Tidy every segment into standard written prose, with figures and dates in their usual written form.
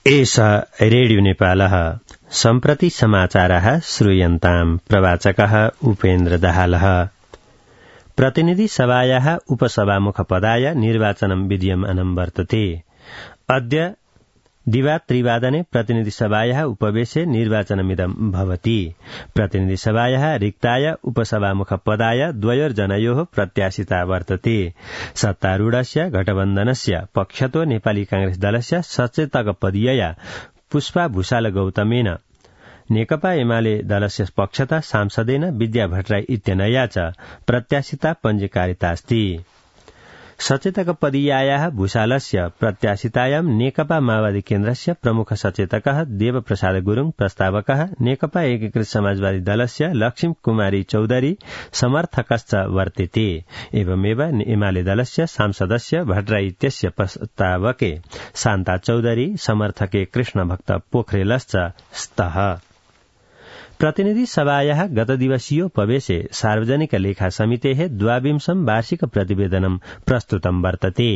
एषा रेडियो नेपालः सम्प्रति समाचारः श्रूयन्ताम् प्रवाचकः उपेन्द्र दाहालः। प्रतिनिधि सभायाः उपसभामुखपदाय निर्वाचनं विद्यमानं वर्तते। अद्य दिवा-त्रिवादने प्रतिनिधि सभायाः उपवेशे निर्वाचनमिदं भवति। प्रतिनिधि सभायाः रिक्ताय उपसभामुखपदाय द्वयोर्जनयोः प्रत्याशिता वर्तते। सत्तारूढस्य गठबन्धनस्य पक्षतो नेपाली कांग्रेस दलस्य सचेतकपदीयया पुष्पा भूषाल गौतमेन नेकपा एमाले दलस्य पक्षतः सांसदेन विद्या भट्टराई इत्यनया च प्रत्याशिता पञ्जीकारितास्ति। सचेतकपदीयायाः भूषालस्य प्रत्याशितायां नेकपा माओवादी केन्द्रस्य प्रमुख सचेतकः देवप्रसाद गुरूङ, प्रस्तावकः नेकपा एकीकृत समाजवादी दलस्य लक्ष्मी कुमारी चौधरी समर्थकश्च वर्तेते। एवमेव एमाले दलस्य सांसदस्य भट्टराई इत्यस्य प्रस्तावके शान्ता चौधरी, समर्थके कृष्णभक्त पोखरेलश्च स्तः। प्रतिनिधि सभायाः गतदिवसीयोपवेशे सार्वजनिक लेखा समितेः द्वाविंशं वार्षिक प्रतिवेदनं प्रस्तुतं वर्तते।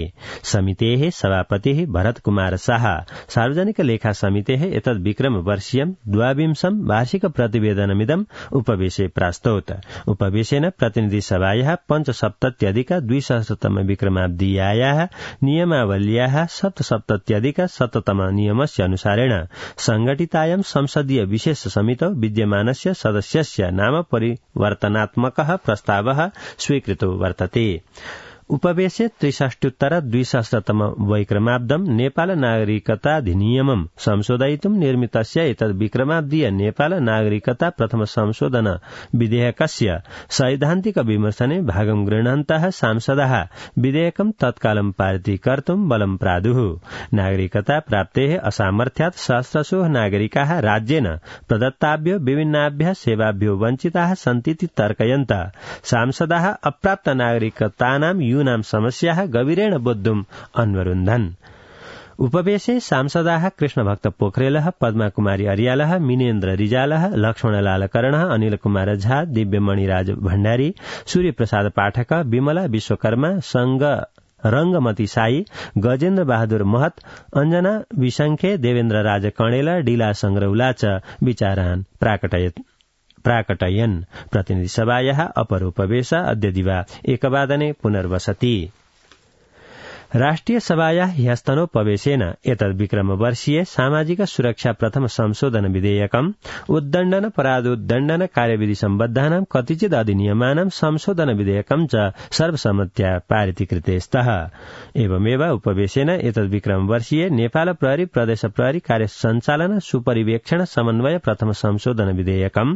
समितेः सभापतिः भरत कुमार शाह सार्वजनिक लेखा समितेः एतद् विक्रम वर्षीयं द्वाविंशं वार्षिक प्रतिवेदनमिदं उपवेशे प्रास्तौत। उपवेशेन प्रतिनिधि सभायाः पञ्चसप्तत्यधिक 200तम विक्रमाब्दीयाः नियमावल्याः 77अधिक-100तम नियमस्य अनुसारेण संघटितायां संसदीय विशेष समितौ विद्यमानस्य सदस्यस्य नाम परिवर्तनात्मकः प्रस्तावः स्वीकृतो वर्तते। उपवेशे 63-200तम वैक्रमाब्दं नेपाल नागरिकताधिनियमं संशोधयितुं निर्मितस्य एतद् विक्रमाब्दीय नेपाल नागरिकता प्रथम संशोधन विधेयकस्य सैद्धान्तिक विमर्शने भागं गृह्णन्तः सांसदः विधेयकं तत्कालं पारितीकर्तुं बलं प्रादुः। नागरिकता प्राप्तेः असामर्थ्यात् सहस्रशो नागरिकाः राज्येन प्रदत्ताभ्यो विभिन्नाभ्यः सेवाभ्यो वञ्चिताः सन्तीति तर्कयन्तः सांसदः अप्राप्त नागरिकतानां यूनां समस्याः गभीरेण बोद्धुम् अन्वरुन्धन्। उपवेशे सांसदाः कृष्णभक्त पोखरेलः, पद्मा कुमारी अर्यालः, मिनेन्द्र रिजालः, लक्ष्मणलाल करणः, अनिल कुमार झा, दिव्यमणिराज भण्डारी, सूर्यप्रसाद पाठक, विमला विश्वकर्मा, संग रंगमती साई, गजेन्द्र बहादुर महत, अंजना विसंखे, देवेन्द्र राज कणेल, डीला संग्रौला च विचारान् प्राकटयन्। प्रतिनिधि सभायाः अपरोपवेश अद्य दिवा 1 पुनर्वसति। राष्ट्रिय सभायाः ह्यस्तनोपवेशेन एतद् विक्रम वर्षीय सामाजिक सुरक्षा प्रथम संशोधन विधेयकम् उद्दण्डन कार्यविधि सम्बद्धानां कतिचित् अधिनियमानां संशोधन विधेयकं च सर्वसम्मत्या पारितीकृते स्तः। एवमेव उपवेशेन एतद् विक्रम वर्षीय नेपाल प्रहरी प्रदेश प्रहरी कार्य सञ्चालन सुपरिवेक्षण समन्वय प्रथम संशोधन विधेयकम्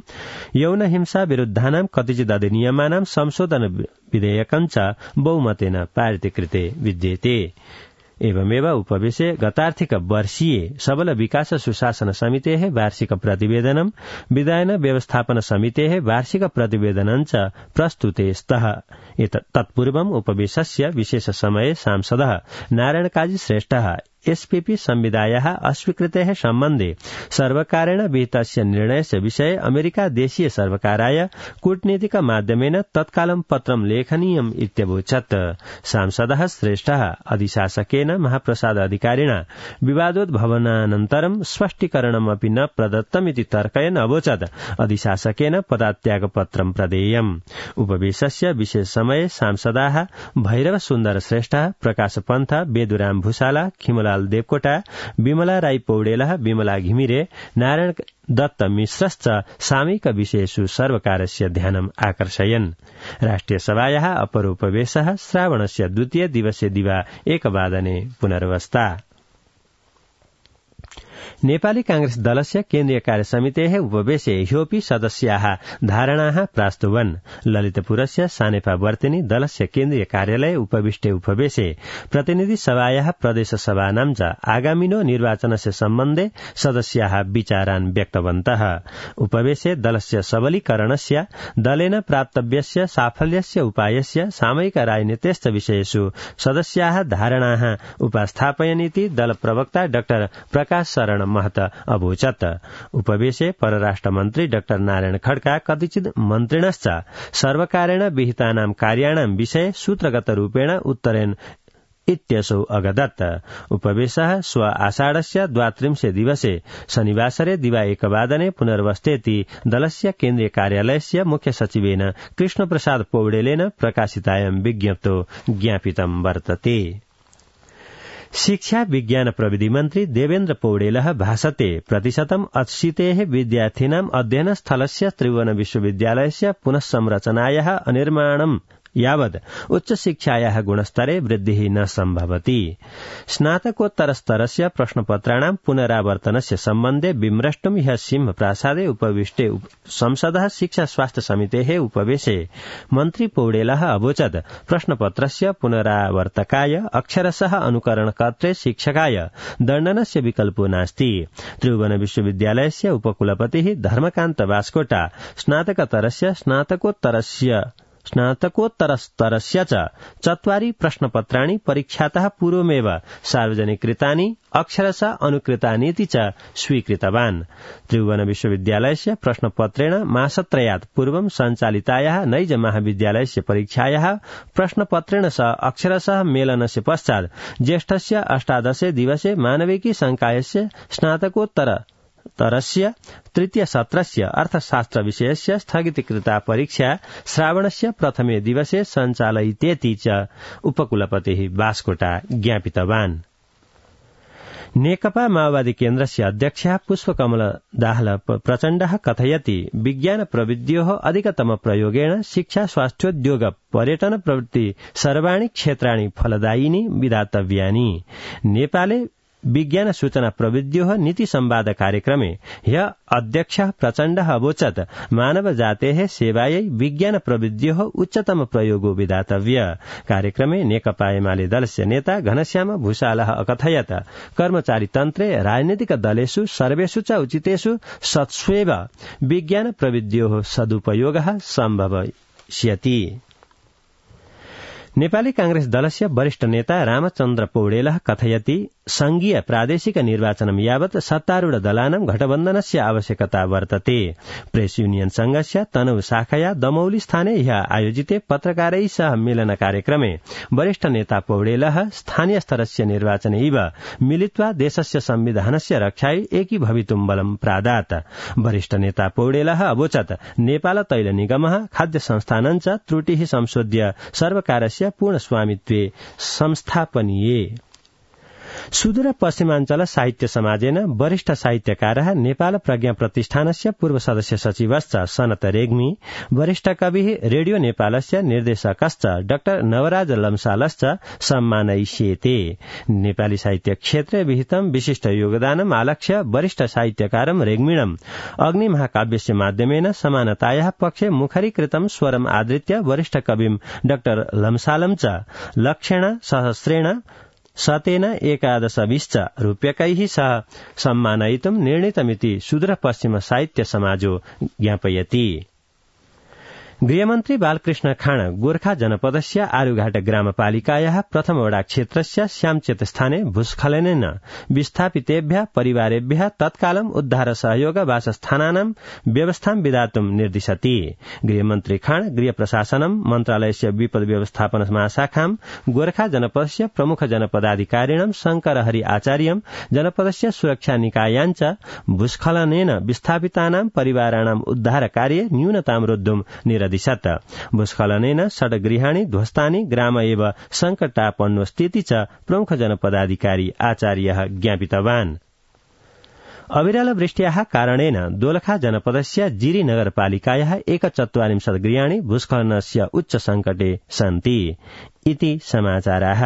यौन हिंसा विरुद्धानां कतिचित् अधिनियमानां संशोधन विधेयकं च बहुमतेन पारितीकृते विद्यते। एवमेव उपवेशे गतार्थिक वर्षीय सबल विकास सुशासन समितेः वार्षिक प्रतिवेदनं विधायन व्यवस्थापन समितेः वार्षिक प्रतिवेदनं च प्रस्तुते स्तः। तत्पूर्वम् उपवेशस्य विशेष समये सांसदः नारायण काजी श्रेष्ठः एसपीपी संविदायाः अस्वीकृतेः सम्बन्धे सर्वकारेण विहितस्य निर्णयस्य विषये अमेरिका देशीय सर्वकाराय कूटनीतिक माध्यमेन तत्कालं पत्रं लेखनीयम् इत्यवोचत्। सांसदः श्रेष्ठः अधिशासकेन महाप्रसाद अधिकारिणा विवादोद्भवनानन्तरं स्पष्टीकरणमपि न प्रदत्तमिति तर्कयन् अवोचत् अधिशासकेन पदात्यागपत्रं प्रदेयम्। उपवेशस्य विशेष समये सांसदाः भैरव सुन्दर श्रेष्ठः, प्रकाश पन्थ, बेदुराम भूषाला, खिमलाल देवकोटा, विमला राई पौडेलः, विमला घिमिरे, नारायण दत्त मिश्रश्च सामयिक विषयेषु सर्वकारस्य ध्यानम् आकर्षयन्। राष्ट्रिय सभायाः अपरोपवेशः श्रावणस्य 2 दिवसे दिवा 1 पुनर्वस्ता। नेपाली कांग्रेस दलस्य केन्द्रीय कार्य समितेः उपवेशे ह्योपि सदस्याः धारणाः प्रास्तुवन्। ललितपुरस्य सानेपा वर्तिनी दलस्य केन्द्रीय कार्यालये उपविष्टे उपवेशे प्रतिनिधि सभायाः प्रदेश सभानां च आगामिनो निर्वाचनस्य सम्बन्धे सदस्याः विचारान् व्यक्तवन्तः। उपवेशे दलस्य सबलीकरणस्य, दलेन प्राप्तव्यस्य साफल्यस्य उपायस्य, सामयिक राजनीतेश्च विषयेषु सदस्याः धारणाः उपस्थापयन्निति दल प्रवक्ता डाक्टर प्रकाश शरण महत अवोचत्। उपवेशे परराष्ट्र मन्त्री डाक्टर नारायण खड्का कतिचित् मन्त्रिणश्च सर्वकारेण विहितानां कार्याणां विषये सूत्रगत रूपेण उत्तरेण इत्यसौ अगदत्। उपवेशः श्व आषाढस्य 32 दिवसे शनिवासरे दिवा 1 पुनर्वस्थेति दलस्य केन्द्रीय कार्यालयस्य मुख्य सचिवेन कृष्णप्रसाद पौडेलेन प्रकाशितायां विज्ञप्तो ज्ञापितं वर्तते। शिक्षा विज्ञान प्रविधि मन्त्री देवेन्द्र पौडेलः भाषते 80% विद्यार्थिनाम् अध्ययनस्थलस्य त्रिभुवन विश्वविद्यालयस्य पुनःसंरचनायाः अनिर्माणम् यावत् उच्चशिक्षायाः गुणस्तरे वृद्धिः न सम्भवति। स्नातकोत्तरस्तरस्य प्रश्नपत्राणां पुनरावर्तनस्य सम्बन्धे विमृष्टुं ह्यः सिंहप्रासादे उपविष्टे संसदः शिक्षा स्वास्थ्य समितेः उपवेशे मन्त्री पौडेलः अवोचत् प्रश्नपत्रस्य पुनरावर्तकाय अक्षरशः अनुकरणकर्त्रे शिक्षकाय दण्डनस्य विकल्पो नास्ति। त्रिभुवन विश्वविद्यालयस्य उपकुलपतिः धर्मकान्त बास्कोटा स्नातकतरस्य स्नातकोत्तरस्तरस्य च 4 प्रश्नपत्राणि परीक्षातः पूर्वमेव सार्वजनिकृतानि अक्षरशः अनुकृतानीति च स्वीकृतवान्। त्रिभुवन विश्वविद्यालयस्य प्रश्नपत्रेण मासत्रयात् पूर्वं सञ्चालितायाः नैज महाविद्यालयस्य परीक्षायाः प्रश्नपत्रेण सह अक्षरशः मेलनस्य पश्चात् ज्येष्ठस्य 18 दिवसे मानविकी संकायस्य स्नातकोत्तरस्य तृतीय सत्रस्य अर्थशास्त्र विषयस्य स्थगितीकृता परीक्षा श्रावणस्य प्रथमे दिवसे सञ्चालयितेति च उपकुलपतिः बास्कोटा ज्ञापितवान्। नेकपा माओवादी केन्द्रस्य अध्यक्षः पुष्पकमल दाहाल प्रचण्डः कथयति विज्ञान प्रविध्योः अधिकतम प्रयोगेण शिक्षा स्वास्थ्योद्योग पर्यटन प्रवृत्ति सर्वाणि क्षेत्राणि फलदायिनी विधातव्यानि। नेपाले विज्ञान सूचना प्रविध्योः नीति संवाद कार्यक्रमे ह्यः अध्यक्षः प्रचण्डः अवोचत् मानव जातेः सेवायै विज्ञान प्रविध्योः उच्चतम प्रयोगो विधातव्य। कार्यक्रमे नेकपा एमाले दलस्य नेता घनश्याम भूषालः अकथयत् कर्मचारीतन्त्रे राजनीतिक दलेषु सर्वेषु च उचितेषु सत्स्वेव विज्ञान प्रविध्योः सदुपयोगः सम्भविष्यति। नेपाली कांग्रेस दलस्य वरिष्ठ नेता रामचन्द्र पौडेलः कथयति संघीय प्रादेशिक निर्वाचनं यावत् सत्तारूढ दलानां गठबन्धनस्य आवश्यकता वर्तते। प्रेस यूनियन संघस्य तनहु शाखया दमौली स्थाने ह्यः आयोजिते पत्रकारैः सह मेलन कार्यक्रमे वरिष्ठ नेता पौडेलः स्थानीय स्तरस्य निर्वाचने इव मिलित्वा देशस्य संविधानस्य रक्षायै एकीभवितुं बलं प्रादात्। वरिष्ठ नेता पौडेलः अवोचत् नेपाल तैल निगमः खाद्य संस्थानं च त्रुटिः संशोध्य सर्वकारस्य पूर्ण स्वामित्वे संस्थापनीये। सुदूर पश्चिमाञ्चल साहित्य समाजेन वरिष्ठ साहित्यकारः नेपाल प्रज्ञा प्रतिष्ठानस्य पूर्व सदस्य सचिवश्च सनत रेग्मी, वरिष्ठ कविः रेडियो नेपालस्य निर्देशकश्च डाक्टर नवराज लम्सालश्च सम्मानयिष्येते। नेपाली साहित्य क्षेत्रे विहितं विशिष्ट योगदानम् आलक्ष्य वरिष्ठ साहित्यकारं रेग्मिणम् अग्निमहाकाव्यस्य माध्यमेन समानतायाः पक्षे मुखरीकृतं स्वरम् आदृत्य वरिष्ठ कविं डाक्टर लम्सालं च लक्षेण सहस्रेण शतेन 11 रूप्यकैः सह सम्मानयितुं निर्णीतमिति सुदूर पश्चिम साहित्य समाजो ज्ञापयति। गृहमन्त्री बालकृष्ण खाँड गोर्खा जनपदस्य आरुघाट ग्रामपालिकायाः प्रथम वडा क्षेत्रस्य श्यामचेत स्थाने भूस्खलनेन विस्थापितेभ्यः परिवारेभ्यः तत्कालम् उद्धार सहयोग वासस्थानानां व्यवस्थां विधातुं निर्दिशति। गृहमन्त्री खाँड गृह प्रशासनं मन्त्रालयस्य विपद व्यवस्थापन महाशाखां गोर्खा जनपदस्य प्रमुख जनपदाधिकारिणं शंकरहरि आचार्यं जनपदस्य सुरक्षा निकायाञ्च भूस्खलनेन विस्थापितानां परिवाराणाम् उद्धार कार्ये न्यूनतां रोद्धुं निरदिशत्। भूस्खलनेन 6 गृहाणि ध्वस्तानि ग्राम एव संकटापन्नो स्थिति च प्रमुख जनपदाधिकारी आचार्यः ज्ञापितवान्। अविरल वृष्ट्याः कारणेन दोलखा जनपदस्य जिरी नगरपालिकायाः 41 गृहाणि भूस्खलनस्य उच्च संकटे सन्ति। इति समाचाराः।